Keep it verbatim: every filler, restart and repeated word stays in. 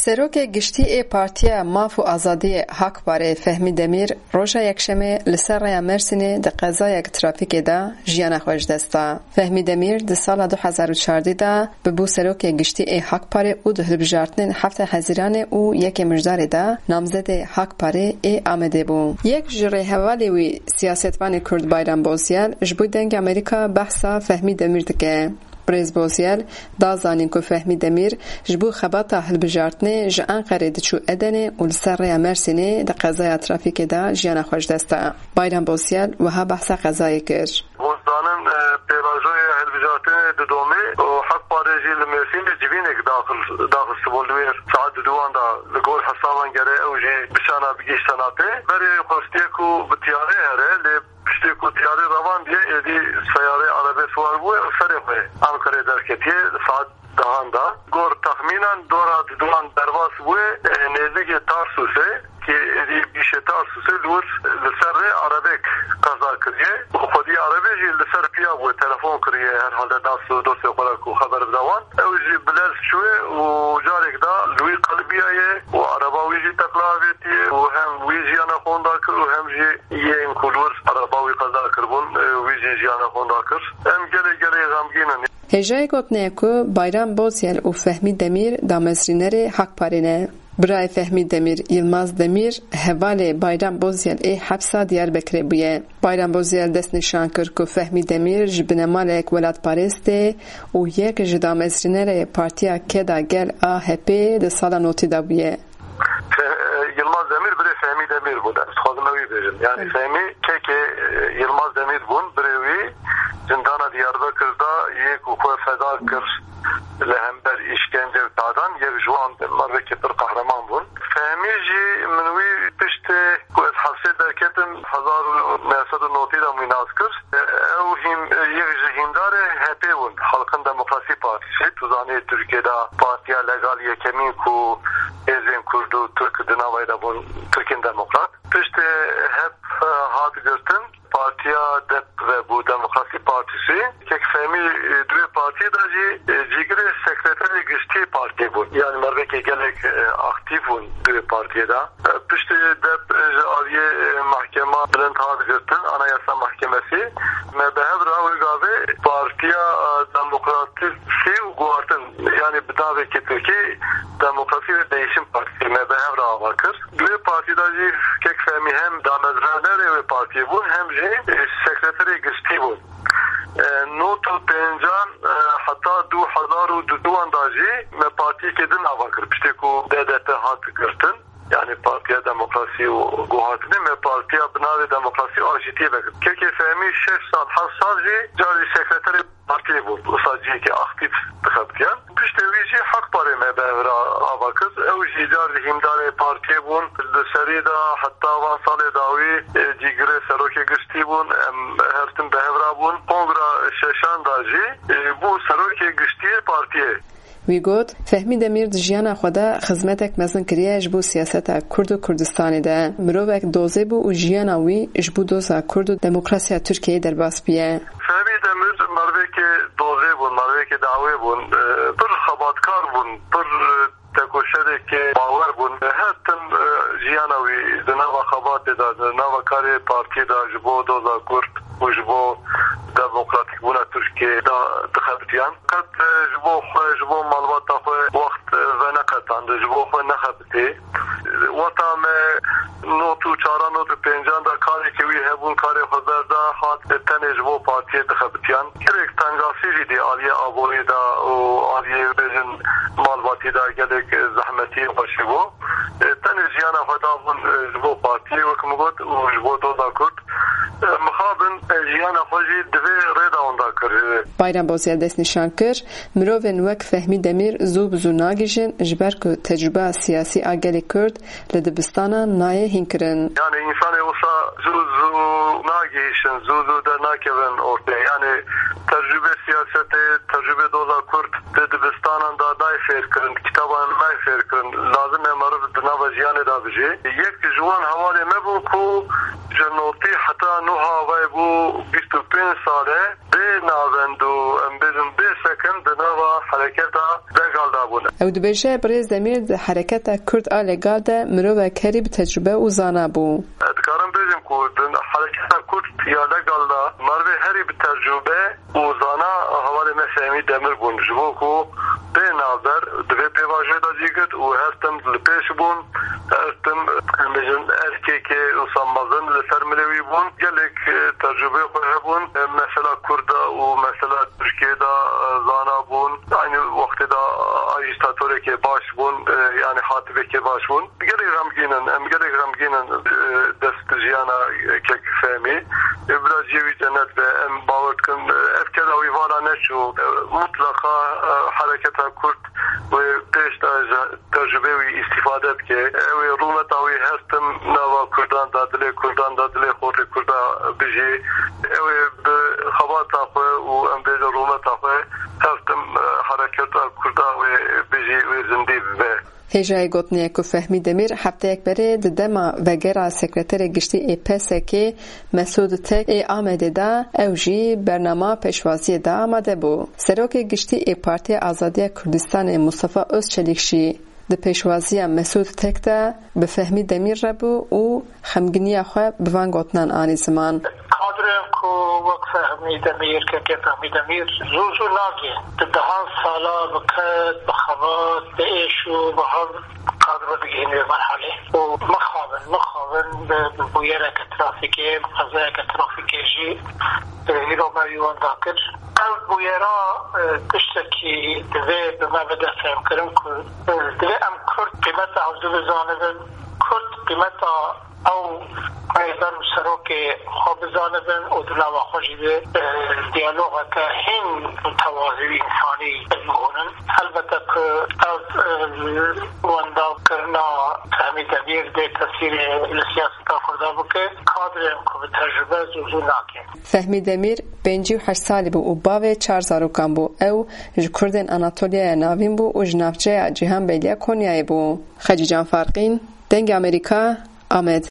Serokê Giştî ê Partiya Maf û Azadiyê Hakparê Fehmî Demîr roja Yekşemê li ser rêya Mersînê di qezayek trafîkê de jiyana xwe ji dest da. Fehmî Demîr di sala du hezar û çardeh de bibû Serokê Giştî ê Hakparê û di hilbijartinên heftê Hezîranê û yekê Mijdarê de namzedê Hakparê ê Amedê bû. Yek ji rêhevalê wî, siyasetvanê Kurd Bayram Bozyel, ji bo Dengê Amerîka behsa Fehmî Demîr dike. Birêz Bozyel da zanîn ku Fehmî Demîr ji bo xebata hilbijartinê ji Enqerê diçû Edenê û li ser rêya Mersînê di qezaya trafîkê de jiyana xwe ji dest da. Bayram Bozyel wiha behsa qezayê kir. Hûn zanin, e, pêvajoya hilbijartinê didomê û Haq Parê jî li Mêrsînê civînek daxil, daxistibûn li wê saet diduwan de li gor hesaban gere ew jî biçana bigihîşte napê. Berê xwestiye ku bi tiyarê here, lê piştê ku tiyarê revandiye, êdî seyarê erebê siwar bûye û serê xwe Ankarê derketiye saet dehan de. Gor texmînan dora diduwan derbas bûye, e, nêzîkê Tarsusê, ki êdî bîşê Tarsusê li wir li ser rê erebek qeza kiriye û xwedî erebê jî li ser piya bûye, telefon kiriye, herhalde nas û dostê xwe re ku xeber bide wan. Ew jî bi lez çûye û carek da li wî qelibiyaye û ereba wî jî teqla avêtiye û hem wî jiyana xwe winda kir û hem jî yên ku li wir ereba wî qeza kiribûn, e, wî jî jiyana xwe winda kir. Em gelê gelê xemgîn in. Hêjayê gotinê ye ku Bayram Bozyel û Fehmî Demîr damezrînerê Hak Parê ne. Birayê Fehmî Demîr, Yilmaz Demîr, hevalê Bayram Bozyel ê hepsa Diyarbekirê bûye. Bayram Bozyel destnîşan kir ku Fehmî Demîr ji binemalek welatparêst e û yek ji damezrînerê Partiya Keda Gel, A H P, di sala notî de bûye. Fe-, Yilmaz Demîr birê Fehmî Demîr bûn. Ez dixwazim ew ê bêjim. Yani Hı. Fehmî kekê, e, Yilmaz Demîr bûn. Birê wî zindana Diyarbekir de yê ku xwe feda kir li hember îşkence û tadan, yek ji wan mervekî pir qehreman bûn. Fehmî jî min wî piştê ku ez hepsê derketim, hezar û neh sed û notî de min wî nas kir. Ew hîm-, yek ji hîndarê H P bûn, Halkın Demokrasi Partisi. Tu zanî Tirkiye de partiya legal yekemîn ku hêzên Kurd û Tirk di navayê de bûn, Tirkên Demokrat. Piştê H P hat girtin, partiya DEP vebû, Demokrasi Partisi. Kek Fehmî, e, di wê partiyê de jî, e, cîgirê sekreterê giştî partiyê bûn. Yani mervekê gelek, e, aktîf bûn di wê partiyê de. Piştî DEP ji aliyê, e, Mahkema Bilind hat girtin, Anayasa Mahkemesi, me bi hev re wê gavê Partiya, e, Demokratîk û Guhartin, yani bi navekî Tirkî Demokrasi ve Değişim Partisi me bi hev re ava kir. Di wê partî de jî kek Fehmî hem damezranerê wê partiyê bûn, hem jî, e, sekreterê giştî bûn. E, nod û pêncan, e, heta du hezar û duduwan de jî me partiyekê din ava kir. Piştî ku D D P hat girtin, yani Partiya Demokrasî û Guhartinê, me partiya bi navê Demokrasî û Aşîtiyê vekir. Kekê Fehmî şeş sal, heft sal jî carî sekreterê partiyê bû. Wisa cihekî aktîf dixebitiyan. Piştê wî jî Hak Parê me bi hev re ava kir. Ew jî car jî hîndarê partiyê bûn. Li serî de heta van salê dawî, e, cîgirê serokê giştî bûn. Em her tim bi hev re bûn. Kongra şeşan de jî, e, bû serokê giştî yê partiyê. Wî got, Fehmî Demîr di jiyana xwe de xizmetek mezin kiriye ji bo siyaseta Kurd û Kurdistanê de. Mirovek dozê bû û jiyana wî ji bo doza Kurd û demokrasiya Tirkiyeyê derbas bûye. Fehmî Demîr mervekê dozê bûn, mervekê dawê bûn, e, pir xebatkar bûn, pir, e, tekoşerekê bawer bûn. Her tim, e, jiyana wî di nava xebatê de, di nava karê partiyê de ji bo doza Kurd û ji bo demokratîkbûna Tirkiyeyê de dixebitiyan. Qet, e, ji bo xwe, ji bo malbata xwe wext, e, veneqetand, ji bo xwe nexebitê. Wexta me nod û çaran, nod û pêncan de karekî wî hebûn, karê xwe berda, hat tenê ji bo partiyê dixebitiyan. Gelek tengasî jî dî aliyê aborî de û aliyê, bêjin, malbatî de gelek zehmetiyê xweşî bû. E, tenê jiyana xwe dabûn, e, ji bo partiyê, wek min got, û ji bo doza Kurd. E, mixabin, e, jiyana xwe jî di vê rê de winda kir. Bayram Bozyel destnîşan kir, mirovên wek Fehmî Demîr zû bi zû nagihîjin, ji ber ku tecrûba siyasî a gelê Kurd li dibistanan nayê hînkirin. Yani însanê wisa zû zû nagihîşin, zû zû dernakevin ortê. Yani tecrûbê siyasetê, tecrûbê doza Kurd di dibistanan de nayê fêrkirin, kitaban nayê fêrkirin. Lazim e meriv di nava jiyanê de bijî. Yek ji wan hevalê me bû ku ji notî heta nuha vay bû bîst û pênc sal e. Bê navend û, em bêjin, bê sekin di nava hereketa Degal de bûne. Ew dibêje, Birêz Demîr di hereketa Kurd a legal de mirovek herî bi tecrube û zana bû. Dikarim bêjim ku di hereketa Kurd ya legal de merivê herî bi tecrube û zana hevalê me Fehmî Demir bûn. Ji bo ku bê navber di vê pêvajoyê de cî girt û her tim li pêş bûn, her tim, em bêjin, erkekê wisa mezin li ser milê wî bûn. Gelek, e, tecrubeyê xwe hebûn. E, mesela Kurda û mesela Tirkiyê de, e, zana bûn. Aynı wextê de, e, ajîtatorekê baş bûn, e, yani hatibekê baş bûn. Gelek xemgîn in, em gelek xemgîn in, e, dest jiyana kek Fehmî. E, bila cihê wî cennet be, em bawer dikin, e, ev keda wî vala neçû. E, mutleqa, e, hereketa Kurd wê pêş de ji tecrubê wî îstîfade bike. Ew ê rûmeta wî her tim nava Kurdan de, dilê Kurdan de, dilê xortê Kurda bijî. Ew ê bi xebata xwe û em bêjin rûmeta xwe her tim, e, hereketa Kurda wê bijî, wê zindî bibe. Hêjayê gotinê ye ku Fehmî Demîr hefteyek berê di dema vegera Sekreterê Giştî ê P S K'ê Mesûd Tek ê Amedê de ew jî bernama pêşwaziyê de amade bû. Serokê Giştî ê Partiya Azadiya Kurdistanê Mustafa Özçelik jî di pêşwaziya Mesûd Tek de bi Fehmî Demîr re bû û xemginiya xwe bi van gotinan anî ziman. Kadrên ku wek Fehmî Demîr, kekê Fehmî Demîr zû zû nagê. Di dehan sala bi ked, bi xebat, bi êş û bi hev kadro digihîne vê merhalê. Û mixabin, mixabin bi, bi bûyereke trafîkê, bi qezayeke trafîkê jî, e, îro me wî wenda kir. Ev bûyera, e, tiştekî divê bi me bide fêhmkirin ku, e, divê em Kurd qîmeta hevdû bizanibin, Kurd qîmeta ew rêber û serokê xwe bizanibin û di nava xwe jî de, e, diyalogeke hîn mutewazî û însanî bihûnin. Helbete ku ev, e, wendakirina Fehmî Demîr dê tesîrê li siyaseta Kurda bike, kadrên ku bi tecrube zû zû nake. Fehmî Demîr pêncî û heşt salî bû û bavê çar zarokan bû. Ew ji Kurdên Anatoliyaya Navîn bû û ji navçeya Cîhanbeyliya Konyayê bû. Xecîcan Farqîn, Dengê Amerîka, Amed.